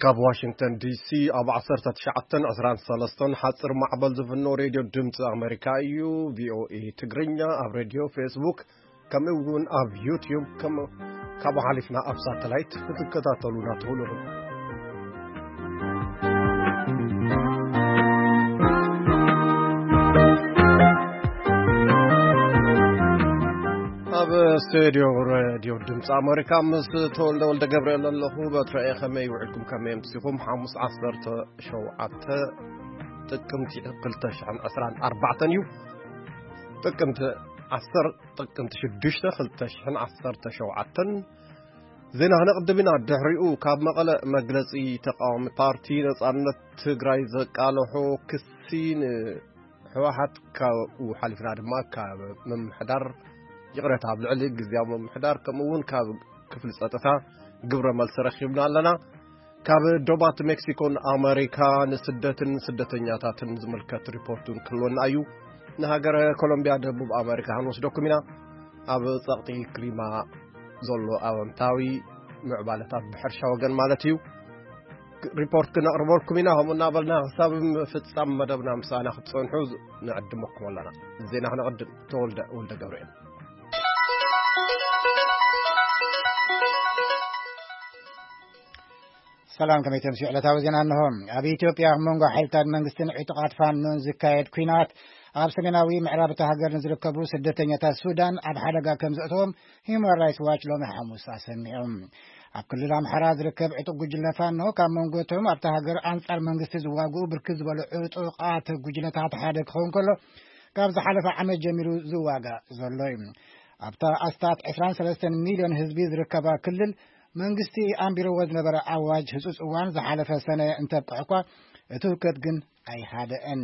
ካብ ዋሽንግተን ዲሲ ኣብ ዓሰርተ ትሽዓተን ዕስራን ሰለስተን ሓፂር ማዕበል ዝፍኖ ሬድዮ ድምፂ ኣሜሪካ እዩ። ቪኦኤ ትግርኛ ኣብ ሬድዮ፣ ፌስቡክ፣ ከምኡ እውን ኣብ ዩትዩብ፣ ከም ካብኡ ሓሊፍና ኣብ ሳተላይት ክትከታተሉና ትኽእሉ ኢኹም። ኣብ ስቱድዮ ሬድዮ ድምፂ ኣሜሪካ ምስ ተወልደ ወልደ ገብርኤል ኣለኹ። በትረ እየ። ከመይ ውዒልኩም? ከመይ ኣምሲኹም? ሓሙስ ዓሰርተ ሸውዓተ ጥቅምቲ ክልተ ሽሕን ዕስራን ኣርባዕተን እዩ። ጥቅምቲ ዓሰርተ፣ ጥቅምቲ ሽዱሽተ ክልተ ሽሕን ዓሰርተ ሸውዓተን። ዜና ክነቕድም ኢና። ድሕሪኡ ካብ መቐለ መግለጺ ተቃዋሚ ፓርቲ ነጻነት ትግራይ ዘቃለሖ ክሲ ን ህወሓት ካብኡ ሓሊፍና ድማ ካብ ምምሕዳር፣ ይቕረታ፣ ኣብ ልዕሊ ግዝያዊ ምምሕዳር ከምኡ እውን ካብ ክፍሊ ጸጥታ ግብረ መልሲ ረኺብና ኣለና። ካብ ዶባት ሜክሲኮን ኣሜሪካ ንስደትን ስደተኛታትን ዝምልከት ሪፖርት እውን ክህልወና እዩ። ንሃገረ ኮሎምቢያ ደቡብ ኣሜሪካ ክንወስደኩም ኢና። ኣብ ጸቕጢ ክሊማ ዘሎ ኣወንታዊ ምዕባለታት ብሕርሻ ወገን ማለት እዩ። ሪፖርት ክነቕርበልኩም ኢና። ከምኡ እናበልና ክሳብ ምፍጻም መደብና ምሳና ክትጸንሑ ንዕድመኩም ኣለና። ዜና ክነቕድም። ተወልደ ወልደ ገብርኤል። ሰላም፣ ከመይ ተምስዩ? ዕለታዊ ዜና እንሆ። ኣብ ኢትዮጵያ ኣብ መንጎ ሓይልታት መንግስትን ዕጡቓት ፋኖን ዝካየድ ኲናት ኣብ ሰሜናዊ ምዕራብ እታ ሃገር ንዝርከቡ ስደተኛታት ሱዳን ኣብ ሓደጋ ከም ዘእተዎም ሂውማን ራይትስ ዋች ሎሚ ሓሙስ ኣሰሚዑ። ኣብ ክልል ኣምሓራ ዝርከብ ዕጡቕ ጉጅለ ፋኖ ካብ መንጎ እቶም ኣብታ ሃገር ኣንጻር መንግስቲ ዝዋግኡ ብርክት ዝበሉ ዕጡቓት ጉጅለታት ሓደ ክኸውን ከሎ፣ ካብ ዝሓለፈ ዓመት ጀሚሩ ዝዋጋእ ዘሎ እዩ። ኣብታ ኣስታት ዕስራን ሰለስተን ሚልዮን ህዝቢ ዝርከባ ክልል፣ መንግስቲ ኣንቢርዎ ዝነበረ ኣዋጅ ህጹጽ እዋን ዝሓለፈ ሰነ እንተብቅዕ እኳ፣ እቲ ህውከት ግን ኣይሃደአን።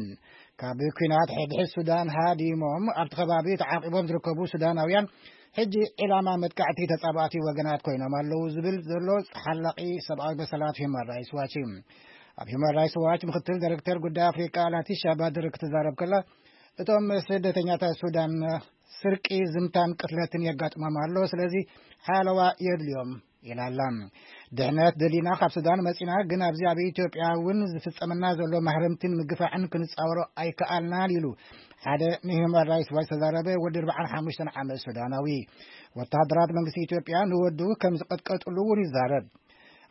ካብ ኲናት ሕድሕድ ሱዳን ሃዲሞም ኣብቲ ከባቢ ተዓቂቦም ዝርከቡ ሱዳናውያን ሕጂ ዒላማ መጥቃዕቲ ተጻባእቲ ወገናት ኮይኖም ኣለዉ ዝብል ዘሎ ሓላቒ ሰብኣዊ መሰላት ሂውማን ራይትስ ዋች እዩ። ኣብ ሂውማን ራይትስ ዋች ምክትል ዳይሬክተር ጉዳይ ኣፍሪቃ ላቲሻ ባድር ክትዛረብ ከላ፣ እቶም ስደተኛታት ሱዳን ስርቂ፣ ዝምታን ቅትለትን የጋጥሞም ኣሎ፣ ስለዚ ሓለዋ የድልዮም ኢላ ኣላ። ድሕነት ደሊና ካብ ሱዳን መጺና፣ ግን ኣብዚ ኣብ ኢትዮጵያ እውን ዝፍጸመና ዘሎ ማህረምትን ምግፋዕን ክንጻወሮ ኣይከኣልናን ኢሉ ሓደ ንሂውማን ራይትስ ዋች ዝተዛረበ ወዲ ኣርባዓን ሓሙሽተን ዓመት ሱዳናዊ። ወተሃደራት መንግስቲ ኢትዮጵያ ንወዱ ከም ዝቐጥቀጥሉ እውን ይዛረብ።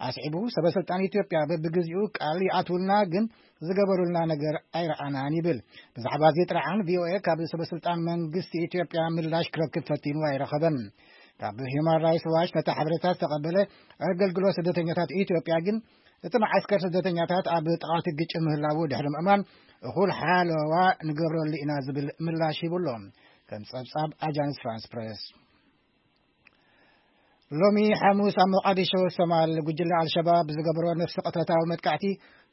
ኣስዒቡ፣ ሰበ ስልጣን ኢትዮጵያ በብግዚኡ ቃል ይኣትውልና፣ ግን ዝገበሩልና ነገር ኣይረኣናን ይብል። ብዛዕባ እዚ ጥርዓን ቪኦኤ ካብ ሰበ ስልጣን መንግስቲ ኢትዮጵያ ምላሽ ክረክብ ፈቲኑ ኣይረኸበን። ካብ ሂውማን ራይትስ ዋች ነቲ ሓበሬታ ዝተቐበለ ኣገልግሎት ስደተኛታት ኢትዮጵያ ግን፣ እቲ መዓስከር ስደተኛታት ኣብ ጥቓቲ ግጭት ምህላዉ ድሕሪ ምእማን፣ እኹል ሓለዋ ንገብረሉ ኢና ዝብል ምላሽ ሂቡ ኣሎ። ከም ጸብጻብ ኣጃንስ ፍራንስ ፕሬስ። ሎሚ ሓሙስ ኣብ ሞቃዲሾ ሶማል፣ ጉጅለ ኣልሸባብ ብዝገበሮ ነፍሲ ቅተታዊ መጥቃዕቲ፣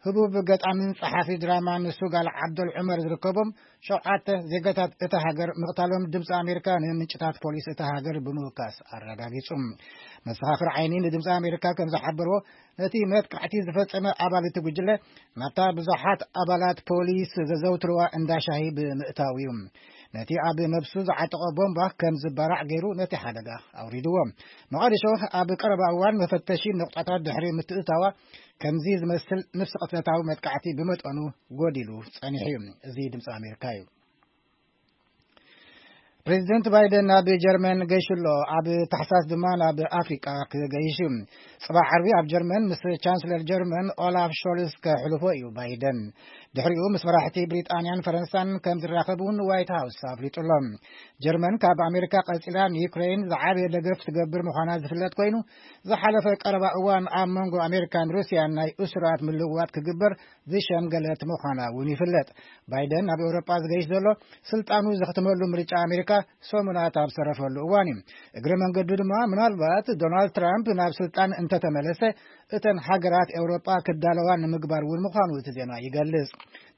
ህቡብ ገጣምን ጸሓፊ ድራማን ሱጋል ዓብደል ዑመር ዝርከቦም ሸውዓተ ዜጋታት እታ ሃገር ምቕታሎም ድምፂ ኣሜሪካ ንምንጭታት ፖሊስ እታ ሃገር ብምውካስ ኣረጋጊጹ። መሰኻኽር ዓይኒ ንድምፂ ኣሜሪካ ከም ዝሓበርዎ፣ ነቲ መጥቃዕቲ ዝፈጸመ ኣባል እቲ ጉጅለ ናብታ ብዙሓት ኣባላት ፖሊስ ዘዘውትርዋ እንዳ ሻሂ ብምእታው እዩ። ነቲ ኣብ ነብሱ ዝዓጠቖ ቦምባ ከም ዝባራዕ ገይሩ ነቲ ሓደጋ ኣውሪድዎ። መቓዲሾ ኣብ ቀረባ እዋን መፈተሺ ነቑጣታት ድሕሪ ምትእታዋ፣ ከምዚ ዝመስል ነፍሲ ቅትለታዊ መጥቃዕቲ ብመጠኑ ጎዲሉ ጸኒሑ እዩ። እዚ ድምፂ ኣሜሪካ እዩ። ፕሬዚደንት ባይደን ናብ ጀርመን ገይሹ ኣሎ። ኣብ ታሕሳስ ድማ ናብ ኣፍሪቃ ክገይሽ እዩ። ጽባሕ ዓርቢ ኣብ ጀርመን ምስ ቻንስለር ጀርመን ኦላፍ ሾልስ ከሕልፎ እዩ ባይደን። ድሕሪኡ ምስ መራሕቲ ብሪጣንያን ፈረንሳን ከም ዝራኸብ እውን ዋይት ሃውስ ኣፍሊጡ ኣሎ። ጀርመን ካብ ኣሜሪካ ቀጺላ ንዩክሬን ዝዓበየ ደገፍ ትገብር ምዃና ዝፍለጥ ኮይኑ፣ ዝሓለፈ ቀረባ እዋን ኣብ መንጎ ኣሜሪካን ሩስያን ናይ እሱራት ምልውዋጥ ክግበር ዝሸምገለት ምዃና እውን ይፍለጥ። ባይደን ናብ ኤውሮጳ ዝገይሽ ዘሎ፣ ስልጣኑ ዘኽትመሉ ምርጫ ኣሜሪካ ሰሙናት ኣብ ዝተረፈሉ እዋን እዩ። እግረ መንገዱ ድማ፣ ምናልባት ዶናልድ ትራምፕ ናብ ስልጣን እንተተመለሰ፣ እተን ሃገራት ኤውሮጳ ክዳለዋ ንምግባር እውን ምዃኑ እቲ ዜና ይገልጽ።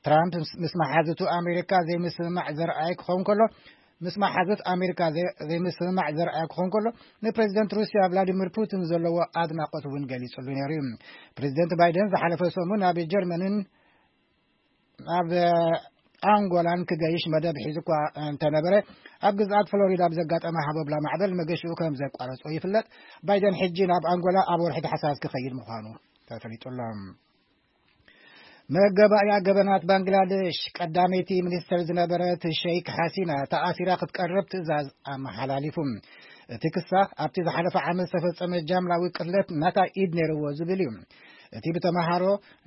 ትራምፕ ምስ፣ ምስ መሓዙቱ ኣሜሪካ ዘይምስምማዕ ዘርኣየ ክኸውን ከሎ፣ ምስ መሓዙት ኣሜሪካ ዘይ-፣ ዘይምስምማዕ ዘርኣየ ክኸውን ከሎ፣ ንፕሬዚደንት ሩስያ ቭላዲሚር ፑቲን ዘለዎ ኣድናቖት እውን ገሊጹሉ ነይሩ እዩ። ፕሬዚደንት ባይደን ዝሓለፈ ሰሙን ኣብ ጀርመንን ኣብ ኣንጎላን ክገይሽ መደብ ሒዙ እኳ እንተነበረ፣ ኣብ ግዝኣት ፍሎሪዳ ብዘጋጠመ ሃቦብላ ማዕበል መገሽኡ ከም ዘቋረጾ ይፍለጥ። ባይደን ሕጂ ናብ ኣንጎላ ኣብ ወርሒ ታሕሳስ ክኸይድ ምዃኑ ተፈሊጡ ኣሎ። መገባእያ ገበናት ባንግላደሽ ቀዳመይቲ ሚኒስተር ዝነበረት ሸይክ ሓሲና ተኣሲራ ክትቀርብ ትእዛዝ ኣመሓላሊፉ። እቲ ክሳ ኣብቲ ዝሓለፈ ዓመት ዝተፈጸመ ጃምላዊ ቅትለት ናታ ኢድ ነይርዎ ዝብል እዩ። እቲ ብተምሃሮ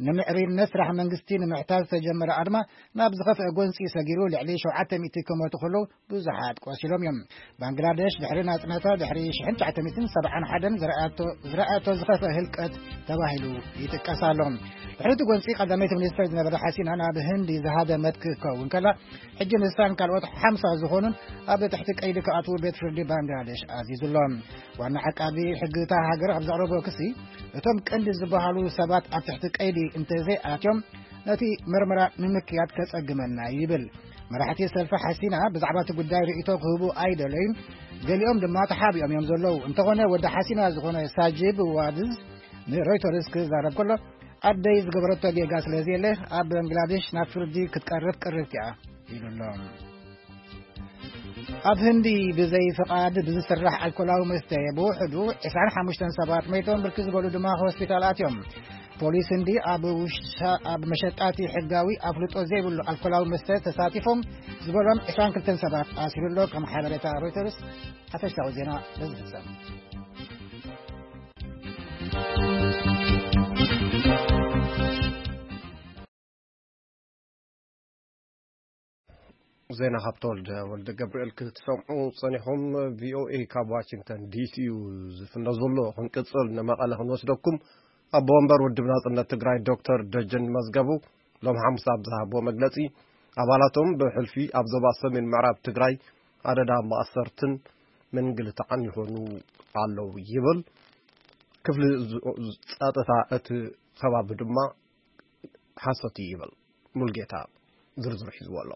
ንምዕሪነት ስራሕ መንግስቲ ንምሕታት ዝተጀመረ ኣድማ ናብ ዝኸፍአ ጎንፂ ሰጊሩ ልዕሊ ሸውዓተ ሚእቲ ክመቱ ከለዉ ብዙሓት ቆሲሎም እዮም። ባንግላደሽ ድሕሪ ናጽነታ ድሕሪ ሽሕን ትሽዓተ ሚእትን ሰብዓን ሓደን ዝረኣቶ ዝረኣቶ ዝኸፍአ ህልቀት ተባሂሉ ይጥቀስ ኣሎ። ድሕሪ እቲ ጎንፂ ቀዳመይቲ ሚኒስትር ዝነበረ ሓሲና ናብ ህንዲ ዝሃደመት ክትከውን ከላ፣ ሕጂ ንሳን ካልኦት ሓምሳ ዝኾኑን ኣብ ትሕቲ ቀይዲ ክኣትዉ ቤት ፍርዲ ባንግላደሽ ኣዚዙ ኣሎ። ዋና ዓቃቢ ሕጊ እታ ሃገር ኣብ ዘቕረቦ ክሲ፣ እቶም ቀንዲ ዝበሃሉ ሰባት ኣብ ትሕቲ ቀይዲ እንተዘይኣትዮም ነቲ መርመራ ንምክያድ ከጸግመና ይብል። መራሕቲ ሰልፊ ሓሲና ብዛዕባ እቲ ጉዳይ ርእይቶ ክህቡ ኣይደለዩን፣ ገሊኦም ድማ ተሓቢኦም እዮም ዘለዉ። እንተኾነ ወዲ ሓሲና ዝኾነ ሳጂብ ዋድዝ ንሮይተርስ ክዛረብ ከሎ፣ ኣደይ ዝገበረቶ ጌጋ ስለ ዘየለ ኣብ ባንግላዴሽ ናብ ፍርዲ ክትቀርብ ቅርብቲ እያ ኢሉ ኣሎ። ኣብ ህንዲ ብዘይ ፍቓድ ብዝስራሕ ኣልኮላዊ መስተ ብውሕዱ ዕስራን ሓሙሽተን ሰባት መይቶም፣ ብርክት ዝበሉ ድማ ሆስፒታል ኣትዮም። ፖሊስ ህንዲ ኣብ ውሻ-፣ ኣብ መሸጣቲ ሕጋዊ ኣፍልጦ ዘይብሉ ኣልኮላዊ መስተ ተሳቲፎም ዝበሎም ዕስራን ክልተን ሰባት ኣሲሩ ኣሎ። ከም ሓበሬታ ሮይተርስ፣ ሓፈሻዊ ዜና በዚ ፍጸም። ዜና ካብ ተወልደ ወልደ ገብርኤል ክትሰምዑ ጸኒኹም። ቪኦኤ ካብ ዋሽንግተን ዲሲ እዩ ዝፍኖ ዘሎ። ክንቅጽል ንመቐለ ክንወስደኩም። ኣቦ ወንበር ውድብ ናጽነት ትግራይ ዶክተር ደጀን መዝገቡ ሎም ሓሙስ ኣብ ዝሃብዎ መግለጺ፣ ኣባላቶም ብሕልፊ ኣብ ዞባ ሰሜን ምዕራብ ትግራይ ኣደዳ ማእሰርትን ምንግልታዕን ይኾኑ ኣለዉ ይብል። ክፍሊ ዝ-፣ ጸጥታ እቲ ከባቢ ድማ ሓሶት እዩ ይብል። ሙልጌታ ዝርዝሩ ሒዝዎ ኣሎ።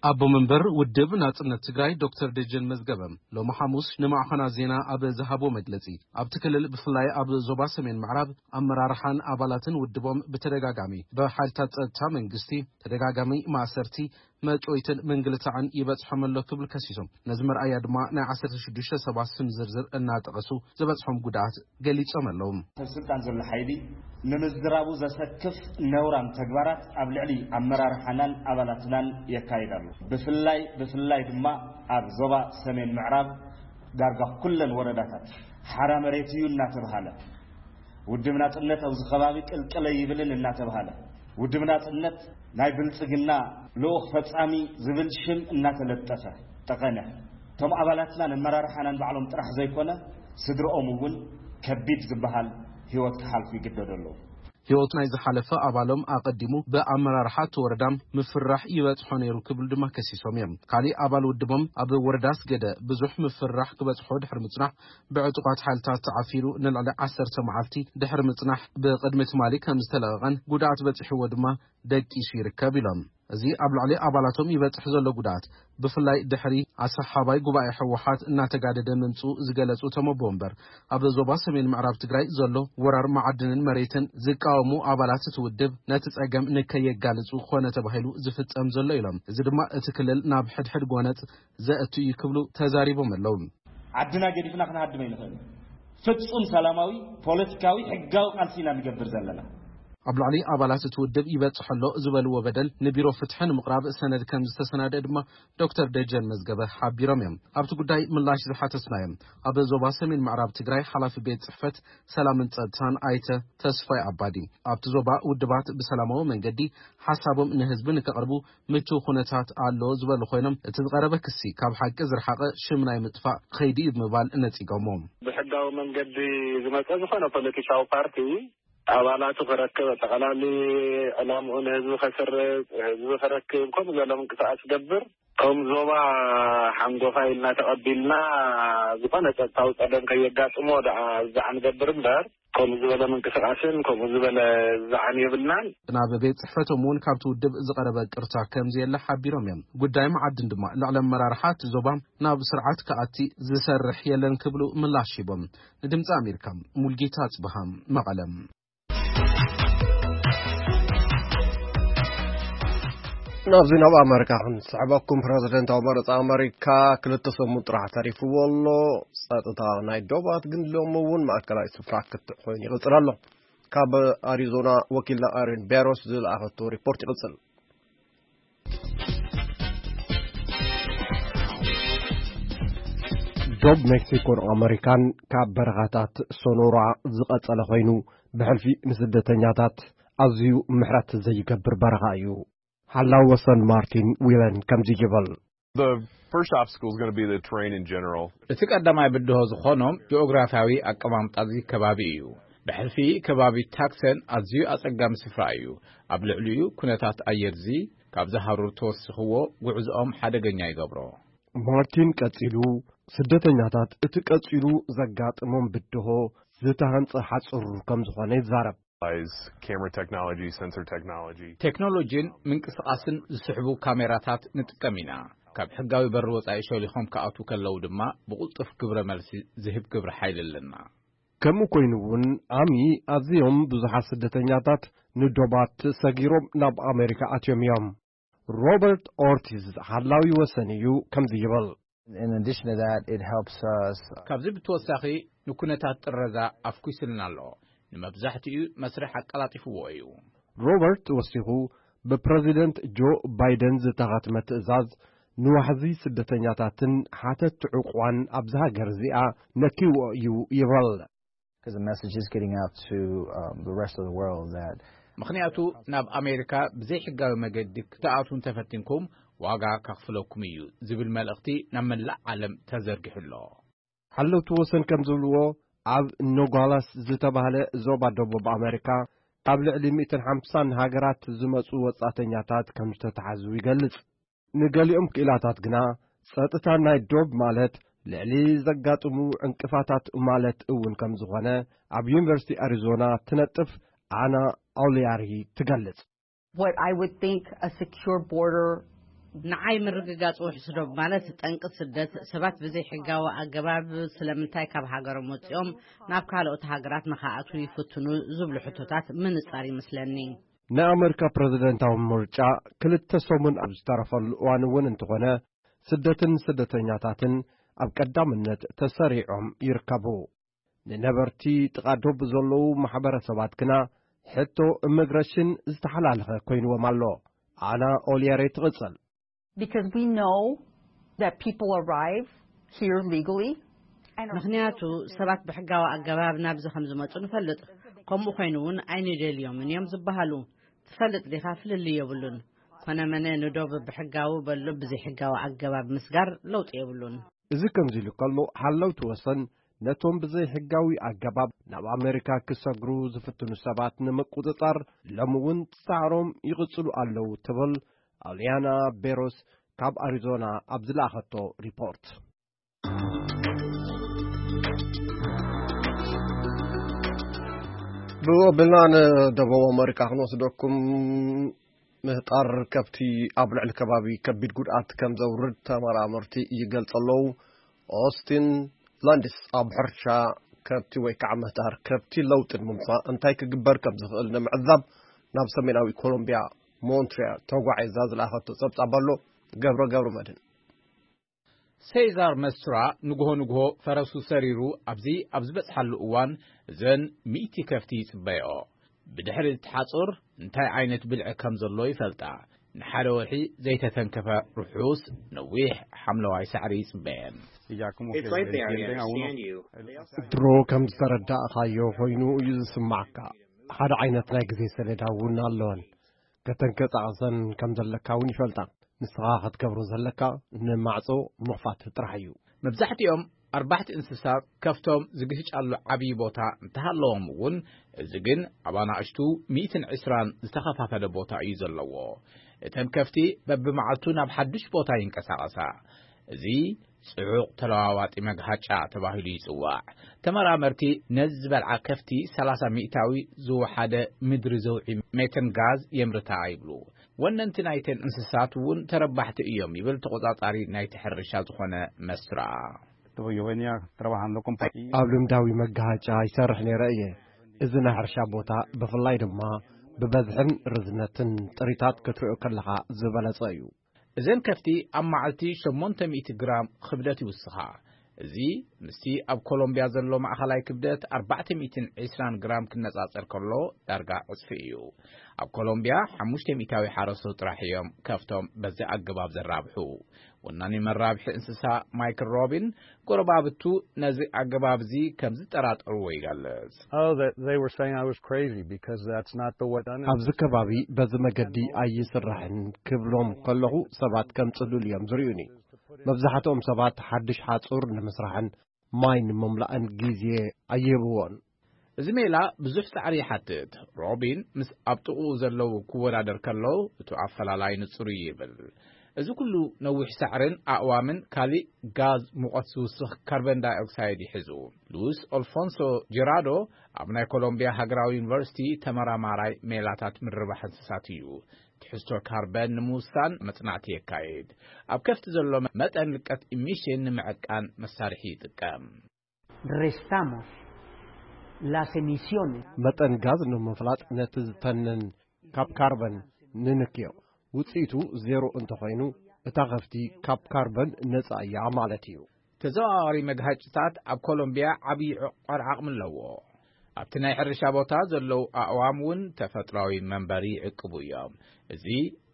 ኣቦ መንበር ውድብ ናጽነት ትግራይ ዶክተር ደጀን መዝገበ ሎሚ ሓሙስ ንማዕኸናት ዜና ኣብ ዝሃቦ መግለጺ፣ ኣብቲ ክልል ብፍላይ ኣብ ዞባ ሰሜን ምዕራብ ኣመራርሓን ኣባላትን ውድቦም ብተደጋጋሚ ብሓይልታት ጸጥታ መንግስቲ ተደጋጋሚ ማእሰርቲ፣ መጥወይትን ምንግልታዕን ይበጽሖም ኣሎ ክብል ከሲሶም፣ ነዚ መርኣያ ድማ ናይ ዓሰርተ ሽዱሽተ ሰባት ስም ዝርዝር እናጠቐሱ ዝበጽሖም ጉድኣት ገሊጾም ኣለዉ። ሰብ ስልጣን ዘሎ ሓይሊ ንምዝራቡ ዘሰክፍ ነውራም ተግባራት ኣብ ልዕሊ ኣመራርሓናን ኣባላትናን የካይድ ኣሎ። ብፍላይ፣ ብፍላይ ድማ ኣብ ዞባ ሰሜን ምዕራብ ዳርጋ ኩለን ወረዳታት ሓራ መሬት እዩ እናተብሃለ፣ ውድብ ናጽነት ኣብዚ ከባቢ ቅልቅል ኣይብልን እናተብሃለ፣ ውድብ ናጽነት ናይ ብልጽግና ልኡኽ ፈጻሚ ዝብል ሽም እናተለጠፈ ጠቐነ። እቶም ኣባላትናን ኣመራርሓናን ባዕሎም ጥራሕ ዘይኮነ፣ ስድርኦም እውን ከቢድ ዝበሃል ህይወት ክሓልፉ ይግደዱ ኣለዉ። ህይወቱ ናይ ዝሓለፈ ኣባሎም ኣቐዲሙ ብኣመራርሓ እቲ ወረዳ ምፍራሕ ይበጽሖ ነይሩ ክብሉ ድማ ከሲሶም እዮም። ካሊእ ኣባል ውድቦም ኣብ ወረዳ ኣስገደ ብዙሕ ምፍራሕ ክበጽሖ ድሕሪ ምጽናሕ፣ ብዕጡቓት ሓይልታት ተዓፊሩ ንልዕሊ ዓሰርተ መዓልቲ ድሕሪ ምጽናሕ ብቕድሚ ትማሊ ከም ዝተለቐቐን ጉድኣት በጺሕዎ ድማ ደቂሱ ይርከብ ኢሎም። እዚ ኣብ ልዕሊ ኣባላቶም ይበጽሕ ዘሎ ጉድኣት ብፍላይ ድሕሪ ኣሰሓባይ ጉባኤ ህወሓት እናተጋደደ ምምጽኡ ዝገለጹ እቶም ኣቦ ወንበር፣ ኣብ ዞባ ሰሜን ምዕራብ ትግራይ ዘሎ ወራር መዓድንን መሬትን ዝቃወሙ ኣባላት እቲ ውድብ ነቲ ጸገም ንከየጋልጹ ኮነ ተባሂሉ ዝፍጸም ዘሎ ኢሎም። እዚ ድማ እቲ ክልል ናብ ሕድሕድ ጎነጽ ዘእቱ እዩ ክብሉ ተዛሪቦም ኣለዉ። ዓድና ገዲፍና ክንሃድም ኣይንኽእልን። ፍጹም ሰላማዊ ፖለቲካዊ ሕጋዊ ቃልሲ ኢና ንገብር ዘለና። ኣብ ልዕሊ ኣባላት እቲ ውድብ ይበጽሕ ኣሎ ዝበልዎ በደል ንቢሮ ፍትሒ ንምቕራብ ሰነድ ከም ዝተሰናደአ ድማ ዶክተር ደጀን መዝገበ ሓቢሮም እዮም። ኣብቲ ጉዳይ ምላሽ ዝሓተትናዮም ኣብ ዞባ ሰሜን ምዕራብ ትግራይ ሓላፊ ቤት ጽሕፈት ሰላምን ጸጥታን ኣይተ ተስፋይ ኣባዲ፣ ኣብቲ ዞባ ውድባት ብሰላማዊ መንገዲ ሓሳቦም ንህዝቢ ንከቕርቡ ምቹው ኩነታት ኣሎ ዝበሉ ኮይኖም፣ እቲ ዝቐረበ ክሲ ካብ ሓቂ ዝረሓቐ ሽም ናይ ምጥፋእ ከይዲ እዩ ብምባል ነጺጎሞ። ብሕጋዊ መንገዲ ዝመጸ ዝኾነ ፖለቲካዊ ፓርቲ ኣባላቱ ክረክብ፣ ጠቕላሊ ዕላምኡ ንህዝቢ ከስርጽ፣ ህዝቢ ክረክብ፣ ከምኡ ዝበለ ምንቅስቃስ ዝገብር፣ ከም ዞባ ሓንጎፋይ ኢልና ተቐቢልና፣ ዝኾነ ጸጥታዊ ጸገም ከየጋጥሞ ደኣ ዝዓን ገብር እምበር፣ ከምኡ ዝበለ ምንቅስቃስን ከምኡ ዝበለ ዝዓን የብልናን። ናብ ቤት ጽሕፈቶም እውን ካብቲ ውድብ ዝቐረበ ቅርታ ከም ዘየለ ሓቢሮም እዮም። ጉዳይ መዓድን ድማ ልዕሊ ኣመራርሓ እቲ ዞባ ናብ ስርዓት ክኣቲ ዝሰርሕ የለን ክብሉ ምላሽ ሂቦም። ንድምፂ ኣሜሪካ ሙልጌታ ኣጽብሃ፣ መቐለ። ናብዚ ናብ ኣመሪካ ክንስሕበኩም፣ ፕረዚደንታዊ መረፃ ኣመሪካ ክልተ ሰሙን ጥራሕ ተሪፍዎ ኣሎ። ጸጥታ ናይ ዶባት ግን ሎሚ እውን ማእከላይ ስፍራ ክትዕ ኮይኑ ይቕጽል ኣሎ። ካብ ኣሪዞና ወኪልና ኣረን ቤሮስ ዝለኣኸቶ ሪፖርት ይቕጽል። ዶብ ሜክሲኮን ኣመሪካን ካብ በረኻታት ሶኖራ ዝቐጸለ ኮይኑ፣ ብሕልፊ ንስደተኛታት ኣዝዩ ምሕረት ዘይገብር በረኻ እዩ። ሓላው ወሰን ማርቲን ዊለን ከምዚ ይብል። The first obstacle is going to be the terrain in general. እቲ ቀዳማይ ብድሆ ዝኾኖም ጂኦግራፊያዊ ኣቀማምጣ እዚ ከባቢ እዩ። ብሕልፊ ከባቢ ታክሰን ኣዝዩ ኣጸጋሚ ስፍራ እዩ። ኣብ ልዕሊኡ ኩነታት ኣየር እዚ ካብዚ ሃሩር ተወሲኽዎ ጉዕዝኦም ሓደገኛ ይገብሮ። ማርቲን ቀጺሉ፣ ስደተኛታት እቲ ቀጺሉ ዘጋጥሞም ብድሆ ዝተሃንጸ ሓጹር ከም ዝኾነ ይዛረብ። Is camera technology, sensor technology. ቴክኖሎጂን ምንቅስቓስን ዝስሕቡ ካሜራታት ንጥቀም ኢና። ካብ ሕጋዊ በሪ ወጻኢ ሸሊኾም ክኣትዉ ከለዉ ድማ ብቕልጡፍ ግብረ መልሲ ዝህብ ግብረ ሓይሊ ኣለና። ከምኡ ኮይኑ እውን፣ ዓሚ ኣዝዮም ብዙሓት ስደተኛታት ንዶባት ሰጊሮም ናብ ኣሜሪካ ኣትዮም እዮም። ሮበርት ኦርቲዝ ሓላዊ ወሰን እዩ ከምዚ ይብል። In addition to that, it helps us. ካብዚ ብተወሳኺ ንኩነታት ጥረዛ ኣፍኲስልና ኣሎ። ንመብዛሕትኡ መስርሕ ኣቀላጢፍዎ እዩ። ሮበርት ወሲኹ፣ ብፕረዚደንት ጆ ባይደን ዝተኸትመ ትእዛዝ ንዋሕዚ ስደተኛታትን ሓተት ዕቑባን ኣብዚ ሃገር እዚኣ ነኪዎ እዩ ይብል። Because the message is getting out to, um, the rest of the world that ምኽንያቱ ናብ ኣሜሪካ ብዘይሕጋዊ መገዲ ክትኣትዉ እንተፈቲንኩም ዋጋ ከኽፍለኩም እዩ ዝብል መልእኽቲ ናብ መላእ ዓለም ተዘርጊሑ ኣሎ። ሓለውቲ ወሰን ከም ዝብልዎ፣ ኣብ ኖጋላስ ዝተባህለ ዞባ ደቡብ ኣሜሪካ ካብ ልዕሊ ሚእትን ሓምሳን ሃገራት ዝመጹ ወጻእተኛታት ከም ዝተታሕዙ ይገልጽ። ንገሊኦም ክኢላታት ግና፣ ጸጥታ ናይ ዶብ ማለት ልዕሊ ዘጋጥሙ ዕንቅፋታት ማለት እውን ከም ዝኾነ፣ ኣብ ዩኒቨርሲቲ ኣሪዞና ትነጥፍ ኣና ኦሊያሪ ትገልጽ። What I would think a secure border ንዓይ ምርግጋጽ ውሕስ ዶብ ማለት ጠንቂ ስደት፣ ሰባት ብዘይ ሕጋዊ ኣገባብ ስለምንታይ ካብ ሃገሮም ወጺኦም ናብ ካልኦት ሃገራት ንኸኣትዉ ይፍትኑ ዝብሉ ሕቶታት ምንጻር ይመስለኒ። ናይ ኣመሪካ ፕረዚደንታዊ ምርጫ ክልተ ሰሙን ኣብ ዝተረፈሉ እዋን እውን እንተኾነ፣ ስደትን ስደተኛታትን ኣብ ቀዳምነት ተሰሪዖም ይርከቡ። ንነበርቲ ጥቓ ዶብ ዘለዉ ማሕበረሰባት ግና ሕቶ ኢሚግሬሽን ዝተሓላለኸ ኮይንዎም ኣሎ። ኣና ኦሊየሬ ትቕጽል። Because we know that people arrive here legally. And are ምኽንያቱ ሰባት ብሕጋዊ ኣገባብ ናብዚ ከም ዝመጹ ንፈልጥ። ከምኡ ኮይኑ እውን ኣይንደልዮምን እዮም ዝበሃሉ። ትፈልጥ ዲኻ? ፍልልይ የብሉን። ኮነመነ ንዶብ ብሕጋዊ በሎ ብዘይሕጋዊ ኣገባብ ምስጋር ለውጢ የብሉን። እዚ ከምዚ ኢሉ ከሎ፣ ሓለውቲ ወሰን ነቶም ብዘይሕጋዊ ኣገባብ ናብ ኣሜሪካ ክሰግሩ ዝፍትኑ ሰባት ንምቁጽጻር ሎሚ እውን ጻዕሮም ይቕጽሉ ኣለዉ ትብል ኣልያና ቤሮስ ካብ ኣሪዞና ኣብ ዝለኣኸቶ ሪፖርት። ብኡ ኣቢልና ንደቡብ ኣመሪካ ክንወስደኩም። ምህጣር ከብቲ ኣብ ልዕሊ ከባቢ ከቢድ ጉድኣት ከም ዘውርድ ተመራመርቲ ይገልጹ ኣለዉ። ኦስቲን ላንድስ ኣብ ሕርሻ ከብቲ ወይ ከዓ ምህጣር ከብቲ ለውጢ ንምምጻእ እንታይ ክግበር ከም ዝኽእል ንምዕዛብ ናብ ሰሜናዊ ኮሎምቢያ ሞንትሪያል ተጓዒዛ ዝለኣኸቶ ጸብጻብ ኣሎ። ገብረ ገብረ መድህን። ሴዛር መስቱራ ንግሆ ንግሆ ፈረሱ ሰሪሩ ኣብዚ ኣብ ዝበጽሓሉ እዋን፣ እዘን ሚእቲ ከፍቲ ይጽበዮ። ብድሕሪ እቲ ሓጹር እንታይ ዓይነት ብልዒ ከም ዘሎ ይፈልጣ። ንሓደ ወርሒ ዘይተተንከፈ ርሑስ ነዊሕ ሓምለዋይ ሳዕሪ ይጽበየን። Y ya como que It's right there, I entienden a uno. Understand you. They also ድሮ ከም ዝተረዳእኻዮ ኮይኑ እዩ ዝስማዓካ። ሓደ ዓይነት ናይ ግዜ ሰሌዳ እውን ኣለወን። ከተንቀሳቕሰን ከም ዘለካ እውን ይፈልጣ። ንስኻ ክትገብሮ ዘለካ ንማዕጾ ምኽፋት ጥራሕ እዩ። መብዛሕትኦም ኣርባሕቲ እንስሳ ከፍቶም ዝግህጫሉ ዓብዪ ቦታ እንተሃለዎም እውን፣ እዚ ግን ኣብ ኣናእሽቱ ሚእትን ዕስራን ዝተኸፋፈለ ቦታ እዩ ዘለዎ። እተን ከፍቲ በብመዓልቱ ናብ ሓድሽ ቦታ ይንቀሳቐሳ። እዚ ጽዑቕ ተለዋዋጢ መግሃጫ ተባሂሉ ይጽዋዕ። ተመራመርቲ ነዚ ዝበልዓ ከፍቲ ሰላሳ ሚእታዊ ዝወሓደ ምድሪ ዘውዒ ሜተን ጋዝ የምርታ ይብሉ። ወነንቲ ናይተን እንስሳት እውን ተረባሕቲ እዮም ይብል ተቖጻጻሪ ናይቲ ሕርሻ ዝኾነ መስራ። Yo venía trabajando con paquillas. ኣብ ልምዳዊ መጋሃጫ ይሰርሕ ነይረ እየ። እዚ ናይ ሕርሻ ቦታ ብፍላይ ድማ ብበዝሕን ርዝነትን ጥሪታት ክትሪኦ ከለኻ ዝበለጸ እዩ። እዘን ከፍቲ ኣብ መዓልቲ ሸሞንተ ሚእቲ ግራም ክብደት ይውስኻ። እዚ ምስቲ ኣብ ኮሎምብያ ዘሎ ማእኸላይ ክብደት ኣርባዕተ ሚእትን ዕስራን ግራም ክነጻጸር ከሎ ዳርጋ ዕጽፊ እዩ። ኣብ ኮሎምብያ ሓሙሽተ ሚእታዊ ሓረስቶት ጥራሕ እዮም ከፍቶም በዚ ኣገባብ ዘራብሑ። ወናኒ መራብሒ እንስሳ ማይክል ሮቢን፣ ጎረባብቱ ነዚ ኣገባብ እዚ ከም ዝጠራጠርዎ ይገልጽ። Oh, they, they were saying I was crazy because that's not the way done. ኣብዚ ከባቢ በዚ መገዲ ኣይስራሕን ክብሎም ከለኹ ሰባት ከም ጽሉል እዮም ዝርእዩኒ። መብዛሕትኦም ሰባት ሓድሽ ሓጹር ንምስራሕን ማይ ንምምላእን ግዜ ኣይህብዎን። እዚ ሜላ ብዙሕ ጻዕሪ ይሓትት። ሮቢን ምስ ኣብ ጥቕኡ ዘለዉ ክወዳደር ከሎ፣ እቲ ኣፈላላይ ንጹር እዩ ይብል። እዚ ኩሉ ነዊሕ ሳዕርን ኣእዋምን ካልእ ጋዝ ሙቐት ዝውስኽ ካርበን ዳይኦክሳይድ ይሕዙ። ሉዊስ ኦልፎንሶ ጀራዶ ኣብ ናይ ኮሎምቢያ ሃገራዊ ዩኒቨርሲቲ ተመራማራይ ሜላታት ምርባሕ እንስሳት እዩ። ትሕዝቶ ካርበን ንምውሳን መጽናዕቲ የካይድ። ኣብ ከፍቲ ዘሎ መጠን ልቀት ኢሚሽን ንምዕቃን መሳርሒ ይጥቀም። Restamos las emisiones. መጠን ጋዝ ንምፍላጥ ነቲ ዝተንን ካብ ካርበን ንንክዮ። ውጽኢቱ ዜሮ እንተኾይኑ፣ እታ ከፍቲ ካብ ካርበን ነጻ እያ ማለት እዩ። ተዘዋዋሪ መግሃጭታት ኣብ ኮሎምቢያ ዓብዪ ዕቋር ዓቕሚ ኣለዎ። ኣብቲ ናይ ሕርሻ ቦታ ዘለዉ ኣእዋም እውን ተፈጥሮኣዊ መንበሪ ይዕቅቡ እዮም። እዚ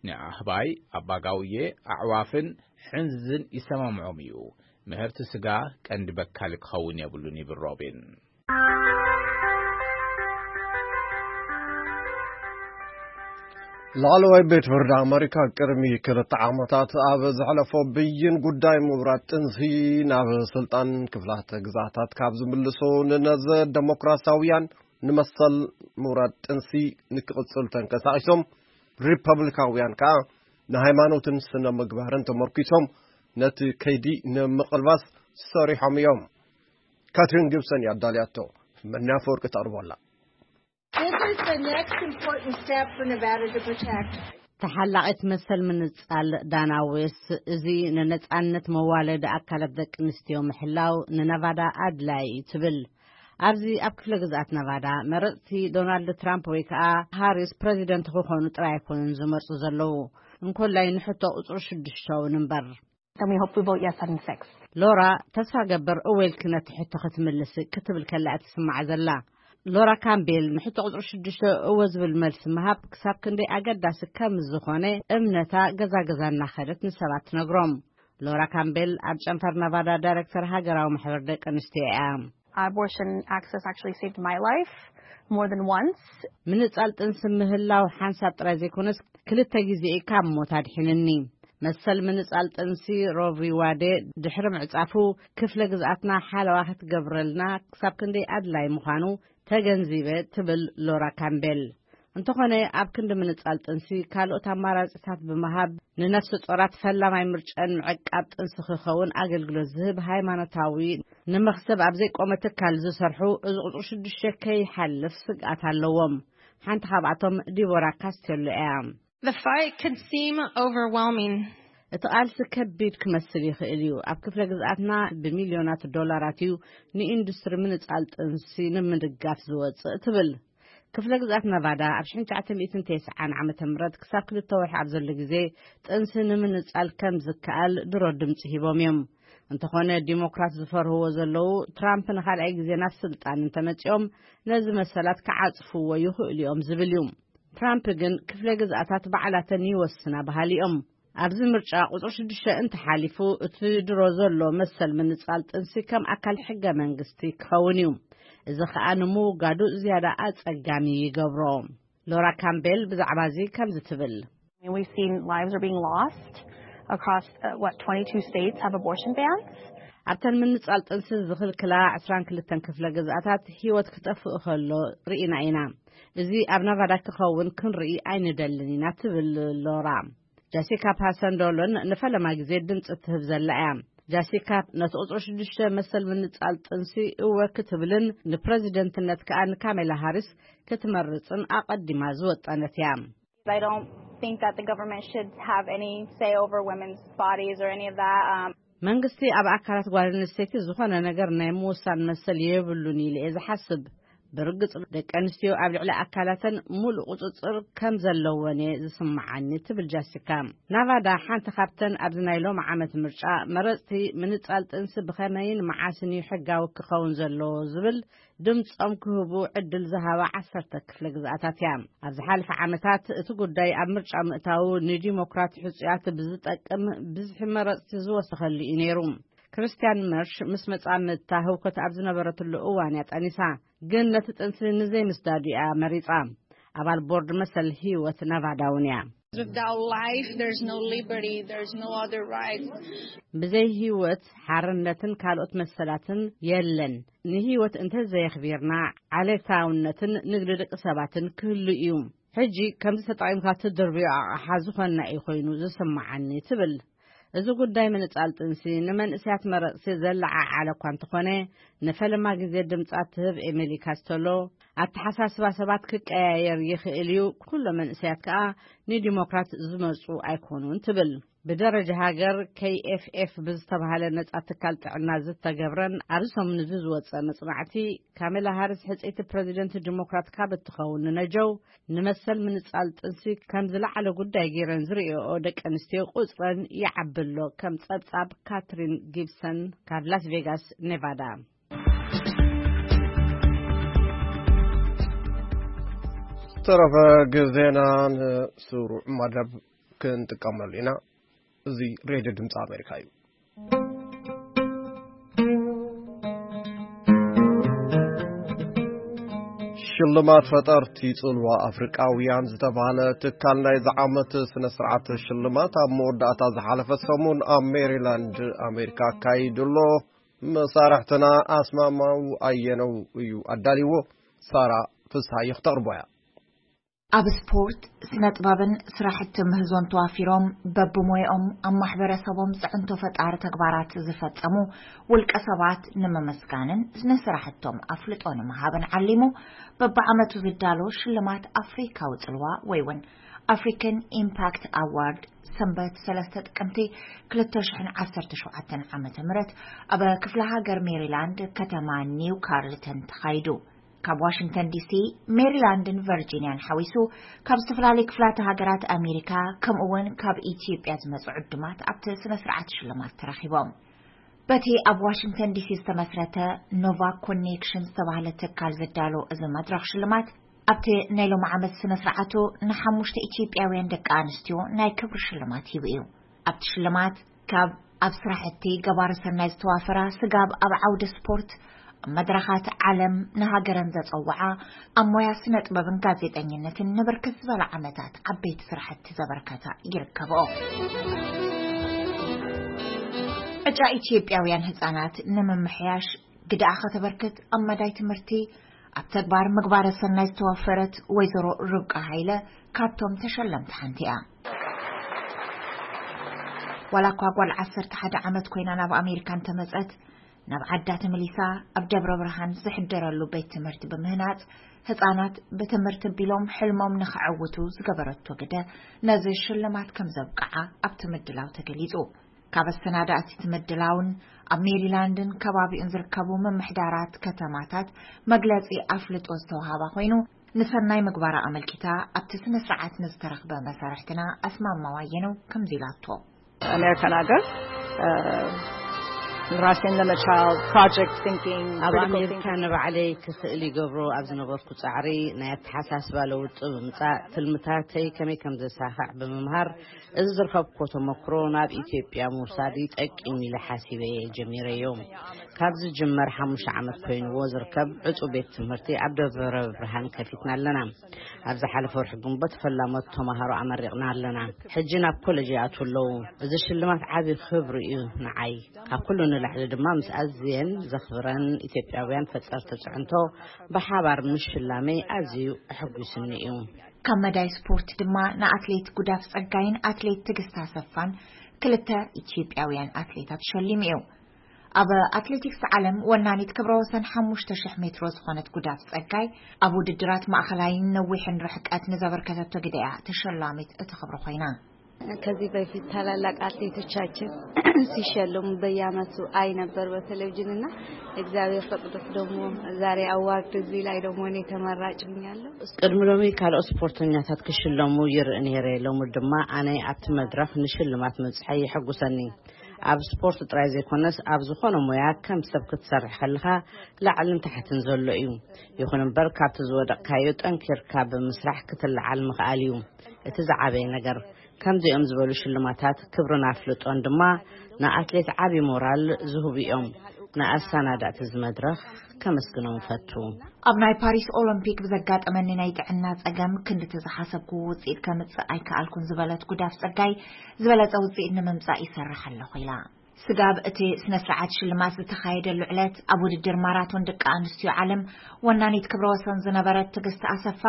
ንኣህባይ፣ ኣባጋውየ፣ ኣዕዋፍን ሕንዝዝን ይሰማምዖም እዩ። ምህርቲ ስጋ ቀንዲ በካሊ ክኸውን የብሉን ይብል ሮቢን። ላዕለዋይ ቤት ፍርዲ ኣመሪካ ቅድሚ ክልተ ዓመታት ኣብ ዘሕለፎ ብይን ጉዳይ ምውራድ ጥንሲ ናብ ስልጣን ክፍላተ ግዛታት ካብ ዝምልሱ ንነዘ ደሞክራሲያውያን ንመሰል ምውራድ ጥንሲ ንክቕጽሉ ተንቀሳቒሶም፣ ሪፐብሊካውያን ከኣ ንሃይማኖትን ስነ ምግባርን ተመርኪሶም ነቲ ከይዲ ንምቕልባስ ሰሪሖም እዮም። ካትሪን ጊብሰን እያ ኣዳልያቶ፣ መናፈወርቂ ተቕርቦ ኣላ። This is the next important step for Nevada to protect. ተሓላቒት መሰል ምንጻል ዳና ዌስት፣ እዚ ንነጻነት መዋለዲ ኣካላት ደቂ ኣንስትዮ ምሕላው ንነቫዳ ኣድላዪ እዩ ትብል። ኣብዚ ኣብ ክፍለ ግዝኣት ነቫዳ መረጽቲ ዶናልድ ትራምፕ ወይ ከኣ ሃሪስ ፕረዚደንት ክኾኑ ጥራይ ኣይኮኑን ዝመርጹ ዘለዉ፣ እንኮላይ ንሕቶ ቁጽሪ ሽዱሽተ እውን እምበር። Then we hope we vote yes on six. ሎራ፣ ተስፋ ገብር እወ ኢልኪ ነቲ ሕቶ ክትምልሲ ክትብል ከላ እትስማዕ ዘላ። ሎራ ካምቤል ንሕቶ ቁጽሪ ሽዱሽተ እወ ዝብል መልሲ ምሃብ ክሳብ ክንደይ ኣገዳሲ ከም ዝኾነ እምነታ ገዛ ገዛ እናኸደት ንሰባት ትነግሮም። ሎራ ካምቤል ኣብ ጨንፈር ነቫዳ ዳይሬክተር ሃገራዊ ማሕበር ደቂ ኣንስትዮ እያ። Abortion access actually saved my life more than once. ምንጻል ጥንሲ ምህላው ሓንሳብ ጥራይ ዘይኮነስ ክልተ ግዜ እዩ ካብ ሞት ኣድሒንኒ። መሰል ምንጻል ጥንሲ ሮቪ ዋዴ ድሕሪ ምዕጻፉ ክፍለ ግዝኣትና ሓለዋ ክትገብረልና ክሳብ ክንደይ ኣድላይ ምዃኑ ተገንዚበ ትብል ሎራ ካምቤል። እንተኾነ ኣብ ክንዲ ምንጻል ጥንሲ ካልኦት ኣማራጺታት ብምሃብ ንነፍሲ ጾራት ፈላማይ ምርጫን ምዕቃብ ጥንሲ ክኸውን ኣገልግሎት ዝህብ ሃይማኖታዊ ንመኽሰብ ኣብ ዘይቆመ ትካል ዝሰርሑ እዚ ቁጽሪ ሽዱሽተ ከይሓልፍ ስግኣት ኣለዎም። ሓንቲ ካብኣቶም ዲቦራ ካስቴሎ እያ። The fight could seem overwhelming. እቲ ቃልሲ ከቢድ ክመስል ይኽእል እዩ። ኣብ ክፍለ ግዝኣትና ብሚልዮናት ዶላራት እዩ ንኢንዱስትሪ ምንጻል ጥንሲ ንምድጋፍ ዝወጽእ ትብል። ክፍለ ግዝኣት ነቫዳ ኣብ ሽሕን ትሽዓተ ሚእትን ተስዓን ዓመተ ምህረት ክሳብ ክልተ ወርሒ ኣብ ዘሎ ግዜ ጥንሲ ንምንጻል ከም ዝከኣል ድሮ ድምጺ ሂቦም እዮም። እንተኾነ ዲሞክራት ዝፈርህዎ ዘለዉ ትራምፕ ንኻልኣይ ግዜ ናብ ስልጣን እንተመጺኦም ነዚ መሰላት ክዓጽፍዎ ይኽእሉ እዮም ዝብል እዩ። ትራምፕ ግን ክፍለ ግዝኣታት ባዕላተን ይወስና በሃሊ እዮም። ኣብዚ ምርጫ ቁጽሪ ሽዱሽተ እንተሓሊፉ እቲ ድሮ ዘሎ መሰል ምንጻል ጥንሲ ከም ኣካል ሕገ መንግስቲ ክኸውን እዩ። እዚ ኸኣ ንምውጋዱ ዝያዳ ኣጸጋሚ ይገብሮ። ሎራ ካምቤል ብዛዕባ እዚ ከምዚ ትብል። We've seen lives are being lost across uh, what twenty-two states have abortion bans. ኣብተን ምንጻል ጥንሲ ዝኽልክላ ዕስራን ክልተን ክፍለ ግዝኣታት ህይወት ክጠፍእ ከሎ ርኢና ኢና። እዚ ኣብ ነቫዳ ክኸውን ክንርኢ ኣይንደልን ኢና ትብል ሎራ። ጃሲካ ፓሰንዶሎን ንፈለማ ግዜ ድምጺ እትህብ ዘላ እያ። ጃሲካ ነቲ ቁጽሪ ሽዱሽተ መሰል ምንጻል ጥንሲ እወ ክትብልን ንፕረዚደንትነት ከኣ ንካሜላ ሃሪስ ክትመርጽን ኣቐዲማ ዝወጠነት እያ። I don't think that the government should have any say over women's bodies or any of that. Um, መንግስቲ ኣብ ኣካላት ጓል ኣንስተይቲ ዝኾነ ነገር ናይ ምውሳን መሰል የብሉን ኢለ እየ ዝሓስብ። ብርግጽ ደቂ ኣንስትዮ ኣብ ልዕሊ ኣካላተን ሙሉእ ቁጽጽር ከም ዘለወን እየ ዝስምዓኒ ትብል ጃሲካ። ናቫዳ ሓንቲ ካብተን ኣብዚ ናይ ሎም ዓመት ምርጫ መረጽቲ ምንጻል ጥንሲ ብኸመይን መዓስን እዩ ሕጋዊ ክኸውን ዘለዎ ዝብል ድምጾም ክህቡ ዕድል ዝሃባ ዓሰርተ ክፍለ ግዝኣታት እያ። ኣብ ዝሓለፈ ዓመታት እቲ ጉዳይ ኣብ ምርጫ ምእታዉ ንዲሞክራት ሕጹያት ብዝጠቅም ብዝሒ መረጽቲ ዝወሰኸሉ እዩ ነይሩ። ክርስቲያን መርሽ ምስ መጻምድታ ህውከት ኣብ ዝነበረትሉ እዋን እያ ጠኒሳ፣ ግን ነቲ ጥንሲ ንዘይምስዳዱ እያ መሪጻ። ኣባል ቦርድ መሰል ህይወት ናቫዳ እውን እያ። Without life, there's no liberty, there's no other rights. ብዘይ ህይወት ሓርነትን ካልኦት መሰላትን የለን። ንህይወት እንተዘየኽቢርና ዓሌታውነትን ንግዲ ደቂ ሰባትን ክህሉ እዩ። ሕጂ ከምዚ ተጠቒምካ ትድርብዮ ኣቕሓ ዝኾንና እዩ ኮይኑ ዝስምዓኒ ትብል። እዚ ጉዳይ ምንጻል ጥንሲ ንመንእሰያት መረጽቲ ዘለዓዓለ እኳ እንተኾነ፣ ንፈለማ ግዜ ድምጻ ትህብ ኤሚሊ ካስተሎ፣ ኣተሓሳስባ ሰባት ክቀያየር ይኽእል እዩ፣ ኩሎም መንእሰያት ከኣ ንዲሞክራት ዝመርጹ ኣይኮኑን ትብል። ብደረጃ ሃገር፣ ኬይ ኤፍ ኤፍ ብዝተባሃለ ነጻ ትካል ጥዕና ዝተገብረን ኣብዚ ሰሙን እዚ ዝወጸ መጽናዕቲ፣ ካሜላ ሃሪስ ሕጽይቲ ፕረዚደንት ዲሞክራት ካብ እትኸውን ንነጀው ንመሰል ምንጻል ጥንሲ ከም ዝለዓለ ጉዳይ ገይረን ዝርእዮኦ ደቂ ኣንስትዮ ቁጽረን ይዓቢ ኣሎ፣ ከም ጸብጻብ ካትሪን ጊብሰን ካብ ላስ ቬጋስ ኔቫዳ። ተረፈ ግዜና ንስሩዕ መደብ ክንጥቀመሉ ኢና። እዚ ሬድዮ ድምፂ ኣሜሪካ እዩ። ሽልማት ፈጠርቲ ጽልዋ ኣፍሪቃውያን ዝተባህለ ትካል ናይዚ ዓመት ስነ ስርዓት ሽልማት ኣብ መወዳእታ ዝሓለፈ ሰሙን ኣብ ሜሪላንድ ኣሜሪካ ኣካይዱ ኣሎ። መሳርሕትና ኣስማማው ኣየነው እዩ ኣዳልዎ። ሳራ ፍስሃየ ክተቕርቦ እያ። ኣብ ስፖርት፣ ስነ ጥበብን ስራሕቲ ምህዞን ተዋፊሮም በብሞያኦም ኣብ ማሕበረሰቦም ፅዕንቶ ፈጣሪ ተግባራት ዝፈፀሙ ውልቀ ሰባት ንምምስጋንን ንስራሕቶም ኣፍልጦ ንምሃብን ዓሊሙ በብዓመቱ ዝዳሎ ሽልማት ኣፍሪካዊ ፅልዋ ወይ እውን ኣፍሪካን ኢምፓክት ኣዋርድ ሰንበት ሰለስተ ጥቅምቲ ክልተ ሽሕን ዓሰርተ ሸውዓተን ዓመተ ምህረት ኣብ ክፍለ ሃገር ሜሪላንድ ከተማ ኒው ካርልተን ተኻይዱ። ካብ ዋሽንግተን ዲሲ፣ ሜሪላንድን ቨርጂንያን ሓዊሱ ካብ ዝተፈላለዩ ክፍላተ ሃገራት ኣሜሪካ ከምኡ እውን ካብ ኢትዮጵያ ዝመፁ ዕዱማት ኣብቲ ስነ ስርዓት ሽልማት ተረኺቦም። በቲ ኣብ ዋሽንግተን ዲሲ ዝተመስረተ ኖቫ ኮኔክሽን ዝተባህለ ትካል ዝዳሎ እዚ መድረኽ ሽልማት ኣብቲ ናይ ሎም ዓመት ስነ ስርዓቱ ንሓሙሽተ ኢትዮጵያውያን ደቂ ኣንስትዮ ናይ ክብሪ ሽልማት ሂቡ እዩ። ኣብቲ ሽልማት ካብ ኣብ ስራሕቲ ገባሪ ሰናይ ዝተዋፈራ ስጋብ ኣብ ዓውዲ ስፖርት ኣብ መድረኻት ዓለም ንሃገረን ዘፀውዓ ኣብ ሞያ ስነ ጥበብን ጋዜጠኝነትን ንብርክት ዝበለ ዓመታት ዓበይቲ ስራሕቲ ዘበርከታ ይርከብኦ። ዕጫ ኢትዮጵያውያን ህፃናት ንምምሕያሽ ግድኣ ከተበርክት ኣብ መዳይ ትምህርቲ ኣብ ተግባር ምግባረ ሰናይ ዝተዋፈረት ወይዘሮ ርብቃ ሃይለ ካብቶም ተሸለምቲ ሓንቲ እያ። ዋላ እኳ ጓል ዓሰርተ ሓደ ዓመት ኮይና ናብ ኣሜሪካ እንተመጸት፣ ናብ ዓዳ ተመሊሳ ኣብ ደብረ ብርሃን ዝሕደረሉ ቤት ትምህርቲ ብምህናጽ ህጻናት ብትምህርቲ ቢሎም ሕልሞም ንኸዕውቱ ዝገበረቶ ግደ ነዚ ሽልማት ከም ዘብቅዓ ኣብቲ ምድላው ተገሊጹ። ካብ ኣሰናዳእቲ እቲ ምድላውን ኣብ ሜሪላንድን ከባቢኡን ዝርከቡ ምምሕዳራት ከተማታት መግለጺ ኣፍልጦ ዝተዋሃባ ኮይኑ፣ ንሰናይ ምግባራ ኣመልኪታ ኣብቲ ስነ ስርዓት ንዝተረኽበ መሳርሕትና ኣስማማው ኣየነው ከምዚ ኢላቶ። ኣሜሪካን ሃገር፣ እ፣ ራሴን ንምቻል ፕሮጀክት ቲንኪንግ ኣብ ክሪቲካል ኣሜሪካ ቲንኪንግ። ንባዕለይ ክኽእል ይገብሮ ኣብ ዝነበርኩ ጻዕሪ ናይ ኣተሓሳስባ ለውጢ ብምምጻእ ትልምታተይ ከመይ ከም ዘሳኽዕ ብምምሃር እዚ ዝረኸብኩዎ ተመክሮ ናብ ኢትዮጵያ ምውሳድ ይጠቅም ኢለ ሓሲበ እየ ጀሚረዮ። ካብ ዝጅመር ሓሙሽተ ዓመት ኮይንዎ ዝርከብ ዕጹ ቤት ትምህርቲ ኣብ ደብረ ብርሃን ከፊትና ኣለና። ኣብ ዝሓለፈ ወርሒ ግንቦት ፈላሞት ተማሃሮ ኣመሪቕና ኣለና። ሕጂ ናብ ኮለጅ ይኣትዉ ኣለዉ። እዚ ሽልማት ዓቢ ክብሪ እዩ ንዓይ። ካብ ኩሉ ንላዕሊ ድማ ምስ ኣዝየን ዘኽብረን ኢትዮጵያውያን ፈጠርቲ ጽዕንቶ ብሓባር ምሽላመይ ኣዝዩ ኣሐጒስኒ እዩ። ካብ መዳይ ስፖርት ድማ ንኣትሌት ጉዳፍ ጸጋይን ኣትሌት ትግስታ ሰፋን ክልተ ኢትዮጵያውያን ኣትሌታት ሸሊሙ እዩ። ኣብ ኣትሌቲክስ ዓለም ወናኒት ክብረ ወሰን ሓሙሽተ ሽሕ ሜትሮ ዝኾነት ጉዳፍ ጸጋይ ኣብ ውድድራት ማእኸላይን ነዊሕን ርሕቀት ንዘበርከተቶ ግደ እያ ተሸላሚት እቲ ክብሪ ኮይና። ከዚህ በፊት ታላላቅ አትሌቶቻችን ሲሸለሙ በየአመቱ አይ ነበር በቴሌቪዥን እና እግዚአብሔር ፈቅዶት ደግሞ ዛሬ አዋርድ እዚህ ላይ ደግሞ እኔ ተመራጭ ሆኛለሁ። ቅድሚ ሎሚ ካልኦት ስፖርተኛታት ክሽለሙ ይርኢ ነይረ፣ ሎሚ ድማ ኣነ ኣብቲ መድረኽ ንሽልማት ምብፅሐይ የሐጉሰኒ። ኣብ ስፖርት ጥራይ ዘይኮነስ ኣብ ዝኾነ ሞያ ከም ሰብ ክትሰርሕ ከለኻ ላዕልን ታሕትን ዘሎ እዩ። ይኹን እምበር ካብቲ ዝወደቕካዮ ጠንኪርካ ብምስራሕ ክትለዓል ምኽኣል እዩ እቲ ዝዓበየ ነገር። ከምዚኦም ዝበሉ ሽልማታት ክብርን ኣፍልጦን ድማ ንኣትሌት ዓቢ ሞራል ዝህቡ እዮም። ንኣሰናዳእቲ እዚ መድረኽ ከመስግኖም እፈቱ። ኣብ ናይ ፓሪስ ኦሎምፒክ ብዘጋጠመኒ ናይ ጥዕና ጸገም ክንድቲ ዝሓሰብኩዎ ውጽኢት ከምጽእ ኣይከኣልኩን ዝበለት ጉዳፍ ጸጋይ፣ ዝበለጸ ውጽኢት ንምምጻእ ይሰርሕ ኣለኹ ኢላ። ስጋብ እቲ ስነ ስርዓት ሽልማት ዝተኻየደሉ ዕለት ኣብ ውድድር ማራቶን ደቂ ኣንስትዮ ዓለም ወናኒት ክብረ ወሰን ዝነበረት ትዕግስቲ ኣሰፋ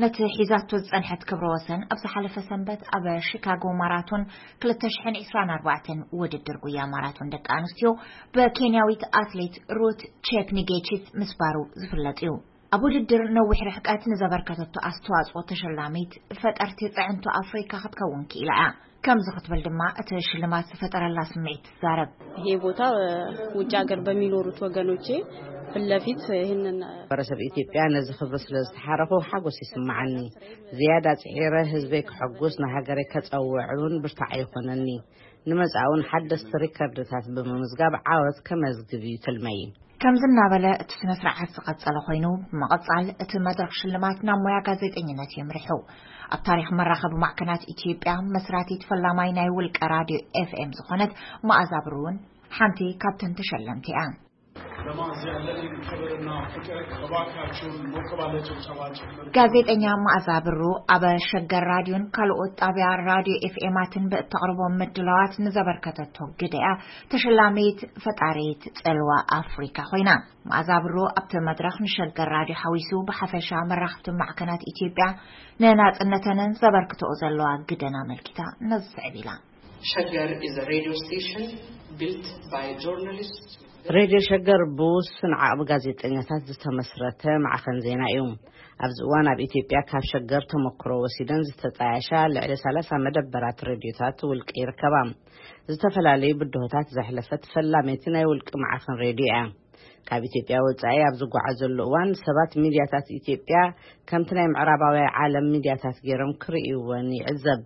ነቲ ሒዛቶ ዝጸንሐት ክብረ ወሰን ኣብ ዝሓለፈ ሰንበት ኣብ ሺካጎ ማራቶን ክልተ ሽሕን ዕስራን ኣርባዕተን ውድድር ጉያ ማራቶን ደቂ ኣንስትዮ ብኬንያዊት ኣትሌት ሩት ቼፕኒጌቺት ምስባሩ ዝፍለጥ እዩ። ኣብ ውድድር ነዊሕ ርሕቀት ንዘበርከተቶ ኣስተዋጽኦ ተሸላሚት ፈጠርቲ ጽዕንቶ ኣፍሪካ ክትከውን ክኢላ እያ። ከምዚ ክትብል ድማ እቲ ሽልማት ዝፈጠረላ ስምዒት ትዛረብ። ይሄ ቦታ ውጭ ሀገር በሚኖሩት ወገኖቼ ፊት ለፊት ይህንን ማሕበረሰብ ኢትዮጵያ ነዚ ክብሪ ስለ ዝተሓረኹ ሓጎስ ይስምዓኒ። ዝያዳ ጽዒረ ህዝበይ ክሕጉስ ንሃገረይ ከጸውዕ እውን ብርታዕ ይኾነኒ። ንመጻእውን ሓደስቲ ሪከርድታት ብምምዝጋብ ዓወት ከመዝግብ እዩ ትልመይ። ከምዚ እናበለ እቲ ስነ ስርዓት ዝቐጸለ ኮይኑ፣ ብምቕጻል እቲ መድረኽ ሽልማት ናብ ሞያ ጋዜጠኝነት የምሪሑ። ኣብ ታሪኽ መራኸቢ ማዕከናት ኢትዮጵያ መስራቲት ፈላማይ ናይ ውልቀ ራድዮ ኤፍኤም ዝኾነት መኣዛ ብሩ እውን ሓንቲ ካብተን ተሸለምቲ እያ። ለማዝ ያለንን ክብርና ፍቅር እባካችሁን ሞቅ ባለ ጭብጨባ ጭምር። ጋዜጠኛ መኣዛ ብሩ ኣብ ሸገር ራድዮን ካልኦት ጣብያ ራድዮ ኤፍኤማትን ብእተቕርቦም ምድላዋት ንዘበርከተቶ ግደ እያ ተሸላሚት ፈጣሪት ጽልዋ ኣፍሪካ ኮይና። መኣዛ ብሩ ኣብቲ መድረኽ ንሸገር ራድዮ ሓዊሱ ብሓፈሻ መራኽብቲ ማዕከናት ኢትዮጵያ ንናጽነተንን ዘበርክተኦ ዘለዋ ግደን ኣመልኪታ ነዚ ስዕብ ኢላ። Shaggar is a radio station built by journalists. ሬድዮ ሸገር ብውሱን ዓቕሚ ጋዜጠኛታት ዝተመስረተ ማዕኸን ዜና እዩ። ኣብዚ እዋን ኣብ ኢትዮጵያ ካብ ሸገር ተመክሮ ወሲደን ዝተጣየሻ ልዕሊ ሰላሳ መደበራት ሬድዮታት ውልቂ ይርከባ። ዝተፈላለዩ ብድሆታት ዘሕለፈት ፈላመይቲ ናይ ውልቂ ማዕኸን ሬድዮ እያ። ካብ ኢትዮጵያ ወጻኢ ኣብ ዝጓዓዘሉ እዋን ሰባት ሚድያታት ኢትዮጵያ ከምቲ ናይ ምዕራባውያን ዓለም ሚድያታት ገይሮም ክርእይወን ይዕዘብ።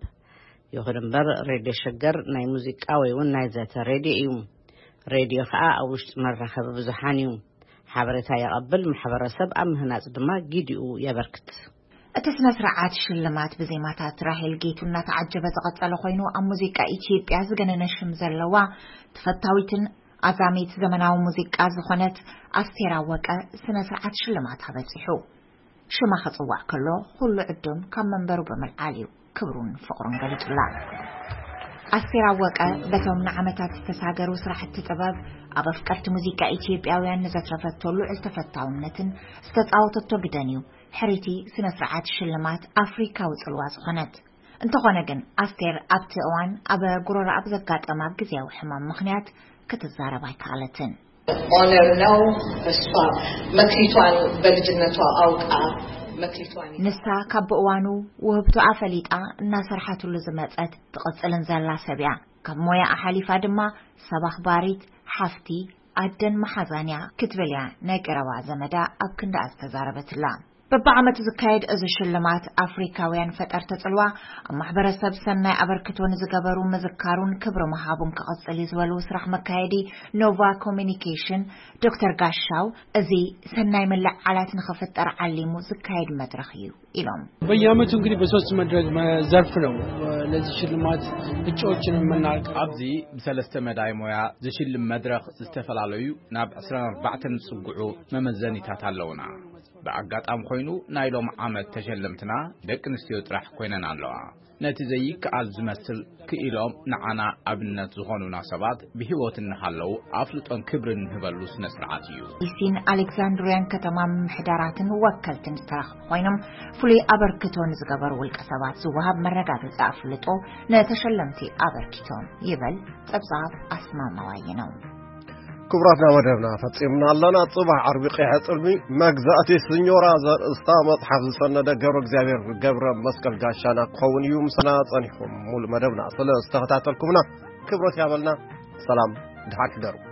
ይኹን እምበር ሬድዮ ሸገር ናይ ሙዚቃ ወይ እውን ናይ ዘተ ሬድዮ እዩ። ሬድዮ ኸኣ ኣብ ውሽጢ መራኸቢ ብዙሓን እዩ። ሓበሬታ የቐብል፣ ማሕበረሰብ ኣብ ምህናጽ ድማ ጊዲኡ የበርክት። እቲ ስነ ስርዓት ሽልማት ብዜማታት ራሄል ጌቱ እናተዓጀበ ዝቐጸለ ኮይኑ፣ ኣብ ሙዚቃ ኢትዮጵያ ዝገነነ ሽም ዘለዋ ተፈታዊትን ኣዛሚት ዘመናዊ ሙዚቃ ዝኾነት ኣስቴር ኣወቀ ስነ ስርዓት ሽልማት ኣበጺሑ። ሽማ ክጽዋዕ ከሎ ኩሉ ዕዱም ካብ መንበሩ ብምልዓል እዩ ክብሩን ፍቕሩን ገሊጹላ። ኣስቴር ኣወቀ በቶም ንዓመታት ዝተሳገሩ ስራሕቲ ጥበብ ኣብ ኣፍቀርቲ ሙዚቃ ኢትዮጵያውያን ንዘትረፈቶ ልዑል ተፈታውነትን ዝተጻወተቶ ግደን እዩ ሕሪቲ ስነ ስርዓት ሽልማት ኣፍሪካዊ ጽልዋ ዝኾነት። እንተኾነ ግን ኣስቴር ኣብቲ እዋን ኣብ ጉሮሮኣ ብዘጋጠማ ግዝያዊ ሕማም ምኽንያት ክትዛረብ ኣይከኣለትን። Honor ነው። እሷ መክሊቷን በልጅነቷ አውቃ መክሊቷን ንሳ ካብ ብእዋኑ ውህብቶኣ ፈሊጣ እናሰርሓትሉ ዝመጸት ትቕጽልን ዘላ ሰብ እያ። ካብ ሞያኣ ሓሊፋ ድማ ሰብ ኣኽባሪት፣ ሓፍቲ፣ ኣደን መሓዛን እያ ክትብል እያ ናይ ቀረባ ዘመዳ ኣብ ክንዳኣ ዝተዛረበትላ። በብዓመቱ ዝካየድ እዚ ሽልማት ኣፍሪካውያን ፈጠርቲ ጽልዋ ኣብ ማሕበረሰብ ሰናይ ኣበርክቶ ንዝገበሩ ምዝካሩን ክብሪ ምሃቡን ክቕጽል እዩ ዝበሉ ስራሕ መካየዲ ኖቫ ኮሚኒኬሽን ዶክተር ጋሻው፣ እዚ ሰናይ ምልዕዓላት ንኽፍጠር ዓሊሙ ዝካየድ መድረኽ እዩ ኢሎም። በየዓመቱ እንግዲህ በሶስት መድረክ መ-፣ ዘርፍ ነው ለዚህ ሽልማት እጩዎችን የምናቀርበው። ኣብዚ ብሰለስተ መዳይ ሞያ ዝሽልም መድረኽ ዝተፈላለዩ ናብ ዕስራን ኣርባዕተን ዝጽግዑ መመዘኒታት ኣለውና። ብኣጋጣሚ ኮይኑ ናይ ሎም ዓመት ተሸለምትና ደቂ ኣንስትዮ ጥራሕ ኮይነን ኣለዋ። ነቲ ዘይከኣል ዝመስል ክኢሎም ንዓና ኣብነት ዝኾኑና ሰባት ብህይወት እናሃለዉ ኣፍልጦን ክብርን ንህበሉ ስነ ስርዓት እዩ። ዲሲን ኣሌክዛንድሪያን ከተማ ምምሕዳራትን ወከልትን ዝተረኽቡ ኮይኖም፣ ፍሉይ ኣበርክቶ ንዝገበሩ ውልቀ ሰባት ዝወሃብ መረጋገጺ ኣፍልጦ ንተሸለምቲ ኣበርኪቶም ይበል ጸብጻብ ኣስማማዋይ ነው። ክቡራትና፣ መደብና ፈጺምና ኣለና። ጽባሕ ዓርቢ ቀይሐ ጽልሚ መግዛእቲ ስኞራ ዘርእስታ መጽሓፍ ዝሰነደ ገብረ እግዚኣብሔር ገብረ መስቀል ጋሻና ክኸውን እዩ። ምስና ጸኒሕኩም ሙሉ መደብና ስለ ዝተኸታተልኩምና ክብረት ያበልና። ሰላም፣ ድሓን ሕደሩ።